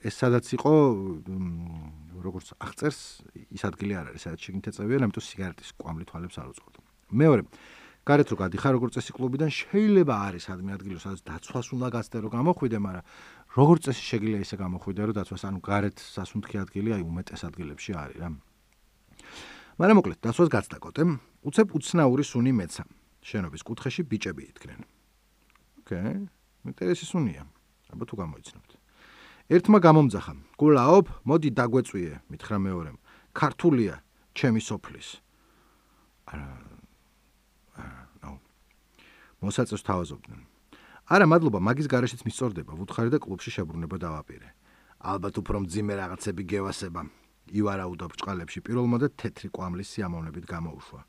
ეს სადაც იყო როგორც აღწერს, ის ადგილი არ არის, სადაც შეგნით ეწევიან, ამიტომ სიგარეტის კვამლი თვალებს არ უწყობდა. მეორე, გარეთ რო გადიხარ როგორც წესი კლუბიდან, შეიძლება არის ადმე ადგილი, სადაც დაცვას უნდა გაცდე რომ გამოხვიდე, მაგრამ როგორც წესი შეგიძლია ისე გამოხვიდე, რომ დაცვას ანუ გარეთ სასუნთქი ადგილი, აი უმეტეს ადგილებში არის რა. მაგრამ მოკლედ, დაცვას გაცდა კოტე, უცებ უცნაური სუნი მეცა. შენობის კუთხეში ბიჭები იდგნენ. ოკეი, ინტერესი სუნია. აბა თუ გამოიცნობთ. ერთმა გამომძახა. გულაობ, მოდი დაგვეწვიე, მითხრა მეორემ. ქართულია, ჩემი სოფლის. არა. ნო. მოსაწევს თავაზობდნენ. არა, მადლობა, მაგის გარეშეც მისწორდება, ვუთხარი და კლუბში შებრუნება დავაპირე. ალბათ უფრო მძიმე რაღაცები გევასება. ივარაუდა ბრჭყალებში პირველმა და თეთრი კვამლის სიამოვნებით გამოუშვა.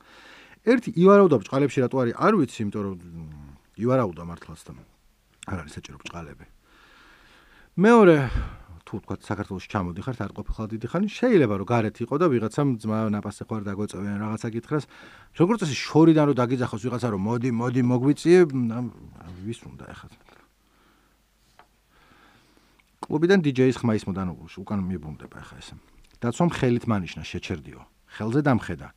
ერთი ივარაუდა ბრჭყალებში რატო არის? არ ვიცი, იმიტომ რომ ივარაუდა მართლაც და არ არის საჭირო ბრჭყალები. მეორე თუ თქვა საქართველოში ჩამოდიხართ არ ყოფილიყავ დიდი ხანი შეიძლება რომ გარეთ იყო და ვიღაცამ ძმა ნაპასე ხوار დაგვეწევიან რაღაცა გითხრას როგორც წესი შორიდან რომ დაგიძახოს ვიღაცა რომ მოდი მოდი მოგვიწიე ვის უნდა ეხლა კლუბიდან დიჯეის ხმა ისმოდა ანუ უკან მიბრუნდება ეხლა ეს დაცვამ ხელით მანიშნა შეჩერდიო ხელზე დამხედა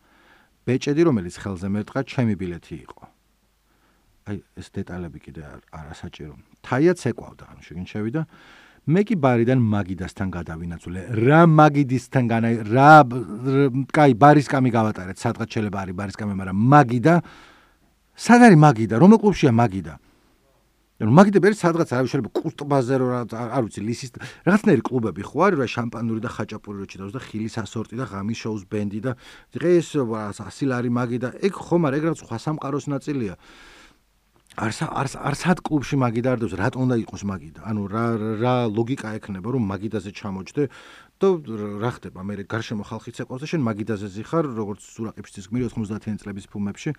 ბეჭედი რომელიც ხელზე მერტყა ჩემი ბილეთი იყო აი ეს დეტალები კიდე არასაჭირო თაია ცეკვავდა ანუ შეგინ შევიდა მე კი ბარიდან მაგიდასთან გადავინაცვლე. რა მაგიდისთან განა რა კაი ბარისკამი გავატარეთ. სადღაც შეიძლება არის ბარისკამი, მაგრამ მაგიდა სად არის მაგიდა? რომელ კლუბშია მაგიდა? ანუ მაგიდა ბერი სადღაც არის შეიძლება კუსტბაზე რა არ ვიცი ლისის რაღაცნაირი კლუბები ხო არის რა შამპანური და ხაჭაპური რო ჩიტავს და ხილის ასორტი და ღამის შოუს ბენდი და დღეს ასილარი მაგიდა. ეგ ხომ არა ეგ რაღაც სხვა სამყაროს ნაწილია. არს არს არს ად კლუბში მაგიდა არ დევს რატომ უნდა იყოს მაგიდა ანუ რა რა ლოგიკა ექნება რომ მაგიდაზე ჩამოჯდე და რა ხდება მე გარშემო ხალხი ცეკვავს და შენ მაგიდაზე ზიხარ როგორც სურაყიფშიც გმირი ოთხმოცდაათიანი წლების ფილმებში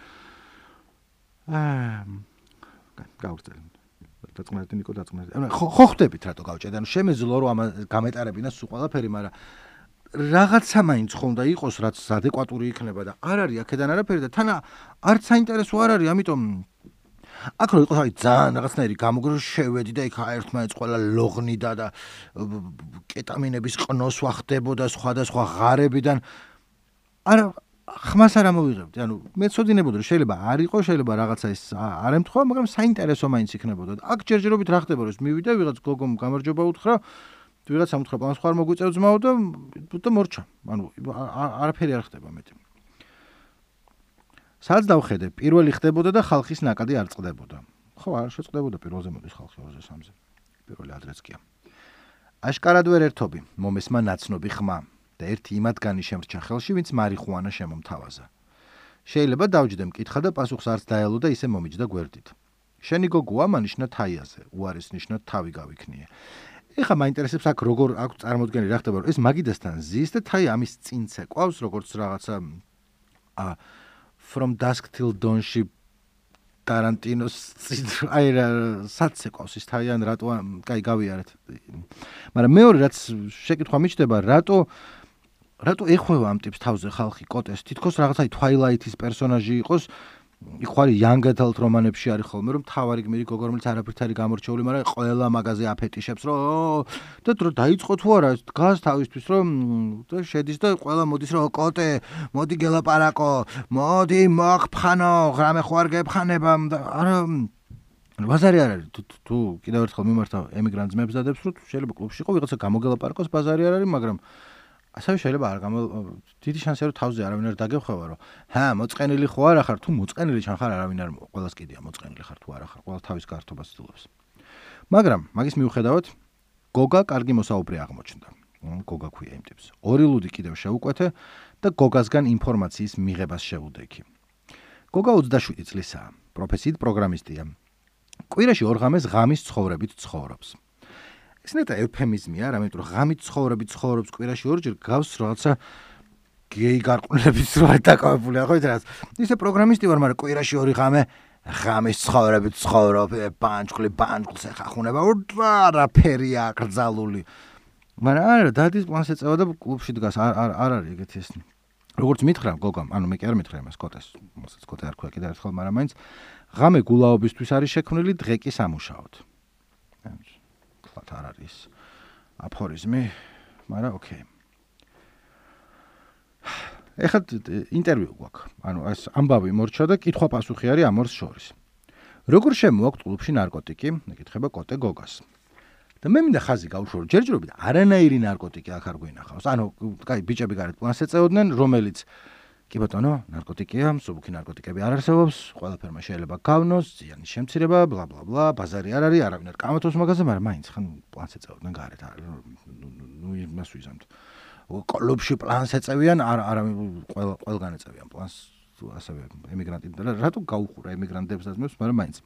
აა გავწევ დაწყნარდი ნიკო დაწყნარდი ანუ ხო ხდებით რატო გავჭედე ანუ შემეძლო რომ ამ გამეტარებინა სულ ყველაფერი მაგრამ რაღაცა მაინც ხონდა იყოს რაც ადეკვატური იქნება და არ არის აქედან არაფერი და თან არც საინტერესო არ არის ამიტომ აქ რო იყოს აი ძალიან რაღაცნაირი გამოგრო შევედი და იქ ერთმანეთს ყველა ლოღნიდა და კეტამინების ყნოსვა ხდებოდა სხვადასხვა ღარებიდან არა ხმას არ ამოვიღებდი ანუ მეცოდინებოდი რომ შეიძლება არ იყოს შეიძლება რაღაცა ეს არ ემთხვევა მაგრამ საინტერესო მაინც იქნებოდა აქ ჯერჯერობით რა ხდება რომ მივიდა ვიღაც გოგომ გამარჯობა უთხრა ვიღაც ამთხრა პანს ხარ მოგვიწევ ძმაო და და მორჩა ანუ არაფერი არ ხდება მეტი სადაც დავხედე, პირველი ხდებოდა და ხალხის ნაკადი არ წყდებოდა. ხო, არ შეწყდებოდა პირველზე მოდის ხალხი ორზე სამზე. პირველი ადრეც კია. აშკარად ვერ ერთობი, მომესმა ნაცნობი ხმა და ერთი იმათგანი შემრჩა ხელში, ვინც მარიხუანა შემომთავაზა. შეიძლება დავჯდე მკითხა და პასუხს არც დაელო და ისე მომიჯდა გვერდით. შენი გოგოა მანიშნა თაიაზე, უარის ნიშნად თავი გავიქნიე. ეხა მაინტერესებს აქ როგორ აქვს წარმოდგენი რა ხდება, რომ ეს მაგიდასთან ზის და თაი ამის წინ ცეკვავს, როგორც რაღაცა ა From Dusk Till Dawn-ში Tarantinos აი რა საცეკვავს ის თაიან რატო კაი გავიარეთ. მაგრამ მეორე რაც შეკითხვა მიჩნდება, რატო რატო ეხვევა ამ ტიპს თავზე ხალხი კოტეს, თითქოს რაღაცა Twilight-ის პერსონაჟი იყოს, იქ ხარ young adult რომანებში არის ხოლმე რომ თავარი გმირი გოგო რომელიც არაფერთ არის გამორჩეული, მაგრამ ყველა მაგაზე აფეტიშებს რომ და დრო დაიწყო თუ არა დგას თავისთვის რომ და შედის და ყველა მოდის რომ კოტე, მოდი გელაპარაკო, მოდი მოხფხანო, რამე ხوار გეფხანება და არა ბაზარი არ არის თუ კიდევ ერთხელ მიმართავ ემიგრანტ ძმებს დადებს რომ შეიძლება კლუბში იყო ვიღაცა გამოგელაპარაკოს ბაზარი არ არის, მაგრამ ასევე შეიძლება არ გამო დიდი შანსია რომ თავზე არავინ არ დაგეხვევა რომ ჰა მოწყენილი ხო არა ხარ თუ მოწყენილი ჩან ხარ არავინ არ ყველას კიდია მოწყენილი ხარ თუ არა ხარ ყველა თავის გართობას ცდილობს მაგრამ მაგის მიუხედავად გოგა კარგი მოსაუბრე აღმოჩნდა გოგა ქვია იმ ტიპს ორი ლუდი კიდევ შეუკვეთე და გოგასგან ინფორმაციის მიღებას შევუდექი გოგა ოცდაშვიდი წლისაა პროფესიით პროგრამისტია კვირაში ორ ღამეს ღამის ცხოვრებით ცხოვრობს ეს ნეტა ევფემიზმია, რა მეტყვი ღამით ცხოვრები ცხოვრობს კვირაში ორჯერ გავს რაღაცა გეი გარყვნილების რა დაკავებულია, ხო იცი რა. ისე პროგრამისტი ვარ, მაგრამ კვირაში ორი ღამე ღამის ცხოვრებით ცხოვრობ, ბანჯგლი ბანჯგლს ეხახუნება, არაფერი აკრძალული. მაგრამ არა, დადის პლანს ეწევა და კლუბში დგას, არ არ არ არის ეგეთი ეს. როგორც მითხრა გოგამ, ანუ მე კი არ მითხრა იმას კოტეს, მოსაც კოტე არ ქვია კიდევ ერთხელ, მაგრამ მაინც ღამე გულაობისთვის არის შექმნილი, დღე კი სამუშაოდ. თქვათ არ არის აფორიზმი, მაგრამ ოკეი. ეხლა ინტერვიუ გვაქვს. ანუ ეს ამბავი მორჩა და კითხვა-პასუხი არის ამ ორს შორის. როგორ შემოაქვთ კლუბში ნარკოტიკი? ეკითხება კოტე გოგას. და მე მინდა ხაზი გავუშვრო, ჯერჯერობით არანაირი ნარკოტიკი აქ არ გვინახავს. ანუ, კაი, ბიჭები გარეთ პლანს ეწეოდნენ, რომელიც კი ბატონო, ნარკოტიკია, მსუბუქი ნარკოტიკები არ არსებობს, ყველაფერმა შეიძლება გავნოს, ზიანის შემცირება, ბლა ბლა ბლა, ბაზარი არ არის, არავინ არ კამათობს მაგაზე, მაგრამ მაინც ხან პლანს ეწეოდნენ გარეთ. ნუ იმას ვიზამთ. კლუბში პლანს ეწევიან, არავინ ყველა ყველგან ეწევიან პლანს, ასევე ემიგრანტები და რატო გაუხურა ემიგრანტებს დასმებს, მაგრამ მაინც.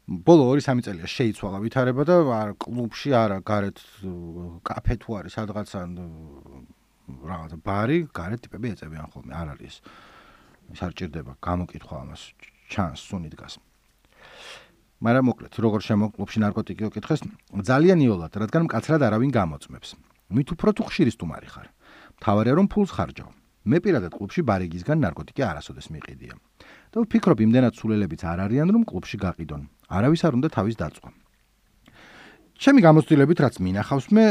ბოლო ორი სამი წელია შეიცვალა ვითარება და კლუბში არა, გარეთ კაფე თუ არის სადღაც ან რაღაცა ბარი, გარეთ ტიპები ეწევიან ხოლმე, არ არის ის არ ჭირდება გამოკითხვა ამას, ჩანს სუნი დგას. მაგრამ მოკლედ, როგორ შემო კლუბში ნარკოტიკი ოკითხეს, ძალიან იოლად, რადგან მკაცრად არავინ გამოწმებს. მით უფრო თუ ხშირი სტუმარი ხარ. მთავარია რომ ფულს ხარჯავ. მე პირადად კლუბში ბარიგისგან ნარკოტიკი არასოდეს მიყიდია. და ვფიქრობ იმდენად სულელებიც არ არიან რომ კლუბში გაყიდონ. არავის არ უნდა თავის დაწვა. ჩემი გამოცდილებით რაც მინახავს მე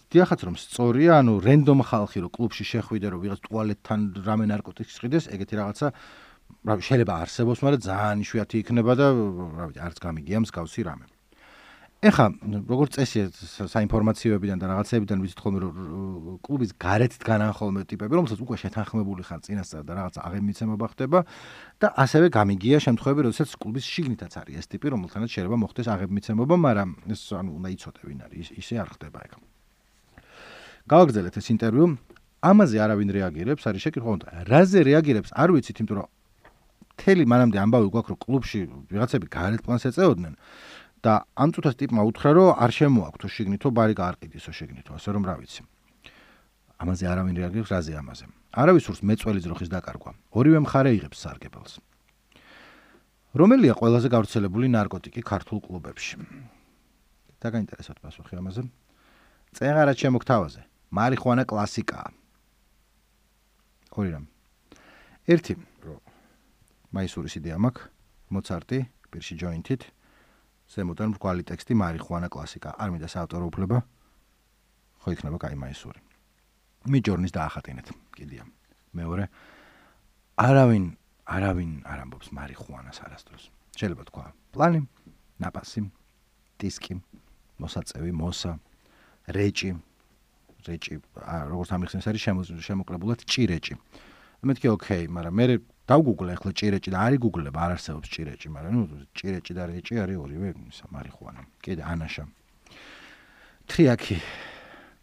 დიახაც რომ სწორია, ანუ რენდომ ხალხი რომ კლუბში შეხვიდე რომ ვიღაც ტუალეტთან რამე ნარკოტიკს ყიდეს, ეგეთი რაღაცა რა შეიძლება არსებობს, მაგრამ ძალიან იშვიათი იქნება და რა ვიცი, არც გამიგია მსგავსი რამე. ეხა, როგორც წესია საინფორმაციოებიდან და რაღაცებიდან ვიცით ხოლმე რომ კლუბის გარეთ დგანან ხოლმე ტიპები, რომელსაც უკვე შეთანხმებული ხარ წინასწარ და რაღაცა აღემიცემობა ხდება და ასევე გამიგია შემთხვევები, როდესაც კლუბის შიგნითაც არის ეს ტიპი, რომელთანაც შეიძლება მოხდეს აღემიცემობა, მაგრამ ეს ანუ უნდა იცოდე ვინ არის, ისე არ ხდება ეგ. გავაგრძელეთ ეს ინტერვიუ. ამაზე არავინ რეაგირებს, არის შეკითხვა, რაზე რეაგირებს, არ ვიცით, იმიტომ რომ მთელი მანამდე ამბავი გვაქვს, რომ კლუბში ვიღაცები გარეთ პლანს ეწეოდნენ და ამ წუთას ტიპმა უთხრა, რომ არ შემოაქვთო შიგნითო ბარი გაარყიდისო შიგნითო, ასე რომ რა ვიცი. ამაზე არავინ რეაგირებს, რაზე ამაზე. არავის სურს მეწველი ძროხის დაკარგვა. ორივე მხარე იღებს სარგებელს. რომელია ყველაზე გავრცელებული ნარკოტიკი ქართულ კლუბებში? დაგაინტერესოთ პასუხი ამაზე. წეღარად შემოგთავაზე. მარიხუანა კლასიკაა. ორი რამ. ერთი, რომ მაისურის იდეა მაქვს, მოცარტი, პირში ჯოინტით, ზემოდან მრგვალი ტექსტი მარიხუანა კლასიკა. არ მინდა საავტორო უფლება, ხო იქნება კაი მაისური. მიჯორნის დაახატინეთ, კიდია. მეორე, არავინ, არავინ არ ამბობს მარიხუანას არასდროს. შეიძლება თქვა, პლანი, ნაპასი, დისკი, მოსაწევი, მოსა, რეჭი, რეჭი, როგორც ამიხსენს არის შემოკლებულად ჭირეჭი. მეთქი ოკეი, მაგრამ მე დავგუგლე ახლა ჭირეჭი და არის გუგლება, არ არსებობს ჭირეჭი, მაგრამ ნუ ჭირეჭი და რეჭი არის ორივე მარიხუანა. კიდე ანაშა. ტრიაკი,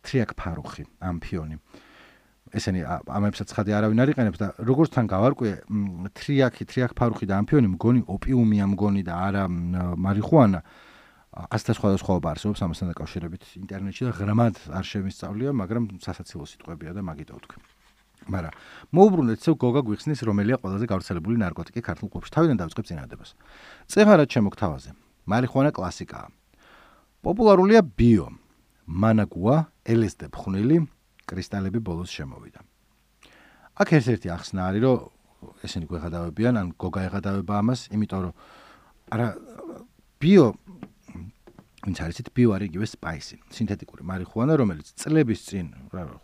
ტრიაკ ფარუხი, ამფიონი. ესენი ამებსაც ხადი არავინ არ იყენებს და როგორც თან გავარკვიე, ტრიაკი, ტრიაკ ფარუხი და ამფიონი მგონი ოპიუმია მგონი და არა მარიხუანა. ასთა სხვადასხვაობა არსებობს ამასთან დაკავშირებით ინტერნეტში და ღრმად არ შემისწავლია, მაგრამ სასაცილო სიტყვებია და მაგითო ვთქვი. მაგრამ მოუბრუნდეთ ისევ გოგა გვიხსნის რომელია ყველაზე გავრცელებული ნარკოტიკი ქართულ კლუბში. თავიდან დავიწყებ წინადადებას. წეღარად შემოგთავაზე. მარიხუანა კლასიკაა. პოპულარულია ბიო, მანაგუა, ელ ეს დი ფხვნილი, კრისტალები ბოლოს შემოვიდა. აქ ერთ-ერთი ახსნა არის, რომ ესენი გვეღადავებიან, ან გოგა ეღადავება ამას, იმიტომ რომ არა ბიო ვინც არიცით ბიო არის იგივე სპაისი, სინთეტიკური მარიხუანა, რომელიც წლების წინ,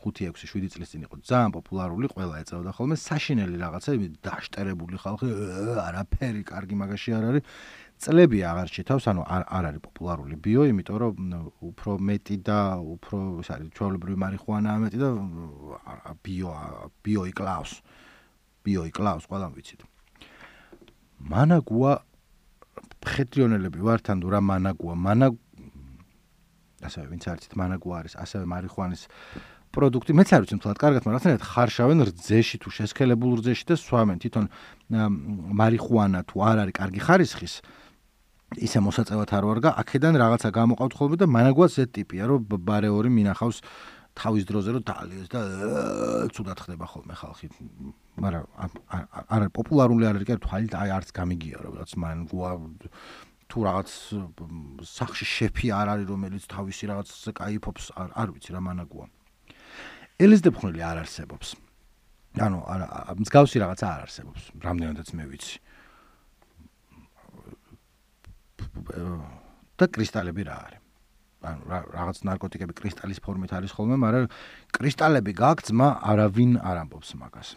ხუთი ექვსი შვიდი წლის წინ იყო ძალიან პოპულარული, ყველა ეწეოდა ხოლმე, საშინელი რაღაცა, დაშტერებული ხალხი, არაფერი კარგი მაგაში არ არის. წლები აღარ შეთავს, ანუ არ არ არის პოპულარული ბიო, იმიტომ რომ უფრო მეტი და უფრო ის არის ჩვეულებრივი მარიხუანაა მეტი და ბიო ბიო იკლავს. ბიო იკლავს, ყველამ ვიცით. მანაგუა ხეტრიონელები ვართ, ან რა მანაგუა, მანაგ ასევე ვინც არიცით მანაგუა არის, ასევე მარიხუანის პროდუქტი, მეც არ ვიცი მთლად კარგად, მაგრამ რაღაცნაირად ხარშავენ რძეში თუ შესქელებულ რძეში და სვამენ თვითონ მარიხუანა თუ არ არის კარგი ხარისხის ისე მოსაწევად არ ვარგა, აქედან რაღაცა გამოყავთ ხოლმე და მანაგუაც ეს ტიპია, რომ ბარეორი მინახავს თავის დროზე რომ დალიეს და ცუდად ხდება ხოლმე ხალხი. მაგრამ არ არის პოპულარული არ არის კი თვალით აი არც გამიგია რომ რაც მანაგუა თუ რაღაც სახში შეფი არ არის რომელიც თავისი რაღაც კაიფობს არ ვიცი რა მანაგუა. ელიზდებხნელი არ არსებობს. ანუ მსგავსი რაღაცა არ არსებობს, რამდენადაც მე ვიცი. და კრისტალები რა არის? ანუ რაღაც ნარკოტიკები კრისტალის ფორმით არის ხოლმე, მაგრამ კრისტალები გაქვს, ძმა არავინ არ ამბობს მაგას.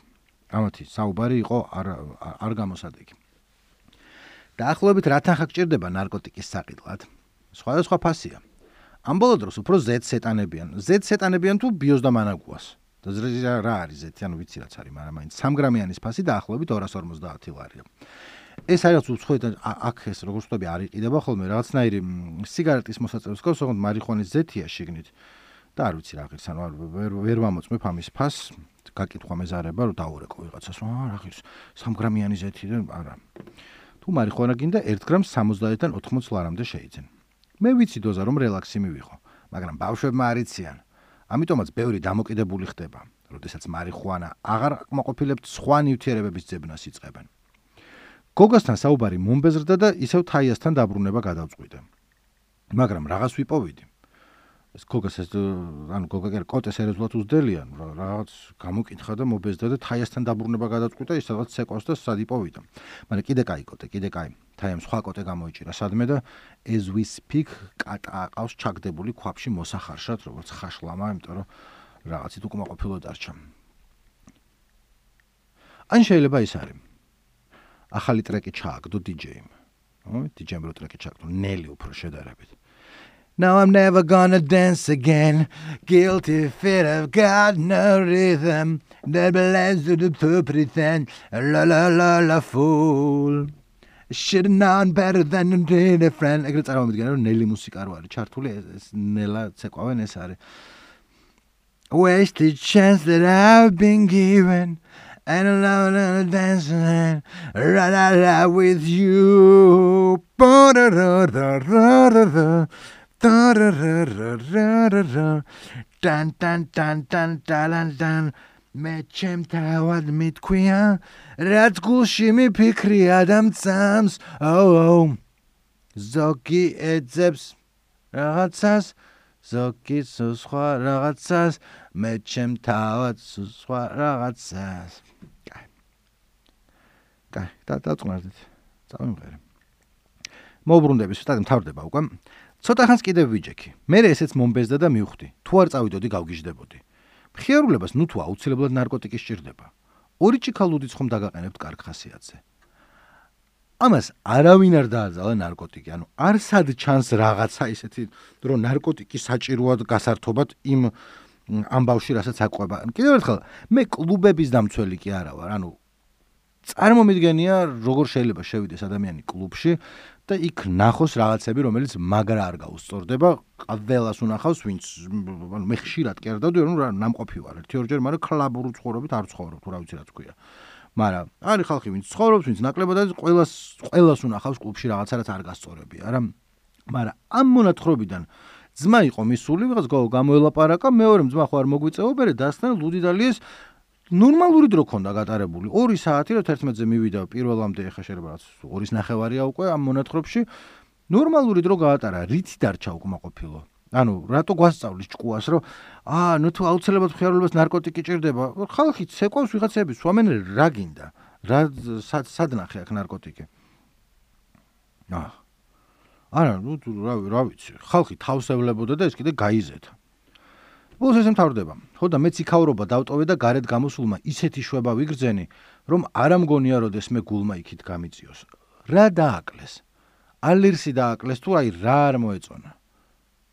ამათი საუბარი იყო არ არ გამოსადეგი. დაახლოებით რა თანხა გჭირდება ნარკოტიკის საყიდლად? სხვადასხვა ფასია. ამ ბოლო დროს უფრო ზედს ეტანებიან. ზედს ეტანებიან თუ ბიოს და მანაგუას. და რა არის ზეთი, ანუ ვიცი რაც არის, მაგრამ მაინც სამი გრამიანის ფასი დაახლოებით ორას ორმოცდაათი ლარია. ეს არის უცხოეთ აქ ეს როგორც ვთქვი არ იყიდება ხოლმე რაღაცნაირი სიგარეტის მოსაწევს გავს, ოღონდ მარიხუანის ზეთია შიგნით. და არ ვიცი რა ღირს, ანუ ვერ ვერ ვამოწმებ ამის ფასს, გაკითხვა მეზარება რომ დაურეკო ვიღაცას, აა რა ღირს, სამი გრამიანი ზეთი და არა. თუ მარიხუანა გინდა ერთ გრამს სამოცდაათიდან ოთხმოცი ლარამდე შეიძენ. მე ვიცი დოზა რომ რელაქსი მივიღო, მაგრამ ბავშვებმა არ იციან. ამიტომაც ბევრი დამოკიდებული ხდება, როდესაც მარიხუანა აღარ კმაყოფილებთ სხვა ნივთიერებების ძებნას იწყებენ. გოგასთან საუბარი მომბეზრდა და ისევ თაიასთან დაბრუნება გადავწყვიტე. მაგრამ რაღაც ვიპოვიდი. ეს გოგას ეს ანუ გოგა კი კოტეს ერეზულად უძდელიან, რაღაც გამოკითხა და მობეზრდა და თაიასთან დაბრუნება გადავწყვიტე, ის რაღაც ცეკვავს და სად იპოვიდა. მაგრამ კიდე კაი კოტე, კიდე კაი. თაიამ სხვა კოტე გამოიჭირა სადმე და as we speak კატა აყავს ჩაგდებული ქვაბში მოსახარშად, როგორც ხაშლამა, იმიტომ რომ რაღაცით უკმაყოფილო დარჩა. ან შეიძლება ის არის. ახალი ტრეკი ჩააგდო დი-ჯეიმ. ო, დი-ჯეიმ რო ტრეკი ჩააგდო, ნელი უფრო შედარებით. Now I'm never gonna dance again. Guilty feet, I've got no rhythm. That belongs to the to pretend. La la la la fool. Should have known better than to be a friend. ეგრე წარმოვიდგინე რომ ნელი მუსიკა რო არის ჩართული, ეს ნელა ცეკვავენ ეს არის. Wasted chance that I've been given. And I'm not dancing la la la with you. Dun dun dun dun dun dun. მე ჩემთავად მithქვია, რაც გულში მიფიქრია და მწამს, oh, ზოგი ეძებს რაღაცას, ზოგი სხვა რაღაცას, მე ჩემთავად სხვა რაღაცას. კაი. კაი, და დაწყნარდით. წავიმღერე. მოუბრუნდები, ცოტა მთავრდება უკვე. ცოტა ხანს კიდევ ვიჯექი. მე ესეც მომბეზდა და მივხვდი. თუ არ წავიდოდი, გავგიჟდებოდი. მხიარულებას ნუ თუ აუცილებლად ნარკოტიკი სჭირდება. ორი ჭიქალუდიც ხომ დაგაყენებთ კარგ ხასიათზე. ამას არავინ არ დააძალა ნარკოტიკი, ანუ არ სად ჩანს რაღაცა ისეთი, რომ ნარკოტიკი საჭიროა გასართობად იმ ამ ბავშვი რასაც აყვება. კიდევ ერთხელ, მე კლუბების დამცველი კი არა ვარ, ანუ წარმომიდგენია, როგორ შეიძლება შევიდეს ადამიანი კლუბში და იქ ნახოს რაღაცები, რომელიც მაგრა არ გაუსწორდება, ყველას უნახავს, ვინც ანუ მე ხშირად კერდავდი, ანუ რა ნამყოფი ვარ, ერთი ორჯერ, მაგრამ კლაბურ ცხოვრობით არ ცხოვრობ, თუ რა ვიცი რა თქვია. მაგრამ არის ხალხი, ვინც ცხოვრობს, ვინც ნაკლებად არის, ყველას ყველას უნახავს კლუბში რაღაცა, რაც არ გასწორებია, არა? მაგრამ ამ მონათხრობიდან ძმა იყო მისული, ვიღაც გამოელაპარაკა, მეორე ძმა ხო არ მოგვიწეობერე, დასთან ლუდი დალიეს ნორმალური დრო ქონდა გატარებული. ორი საათი რომ თერთმეტზე მივიდა პირველამდე ეხა შეიძლება რაც ორის ნახევარია უკვე ამ მონათხრობში. ნორმალური დრო გაატარა, რითი დარჩა უკმაყოფილო. ანუ რატო გვასწავლის ჭკუას, რომ აა, ნუ თუ აუცილებლად მხიარულებას ნარკოტიკი ჭირდება, ხალხი ცეკვავს ვიღაცები, სვამენ რა გინდა. რა სად ნახე აქ ნარკოტიკი? აა. არა, ნუ რა რა ვიცი, ხალხი თავს ევლებოდა და ეს კიდე გაიზეთა. ბოლოს ესე მთავრდება. ხო და მეც იქაურობა დავტოვე და გარეთ გამოსულმა ისეთი შვება ვიგრძენი, რომ არ ამგონია როდეს მე გულმა იქით გამიწიოს. რა დააკლეს? ალერსი დააკლეს თუ აი რა არ მოეწონა.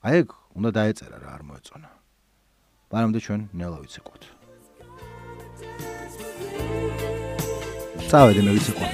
აი ეგ უნდა დაეწერა რა არ მოეწონა. მანამდე ჩვენ ნელა ვიცეკვოთ. წავედი მე ვიცეკვოთ.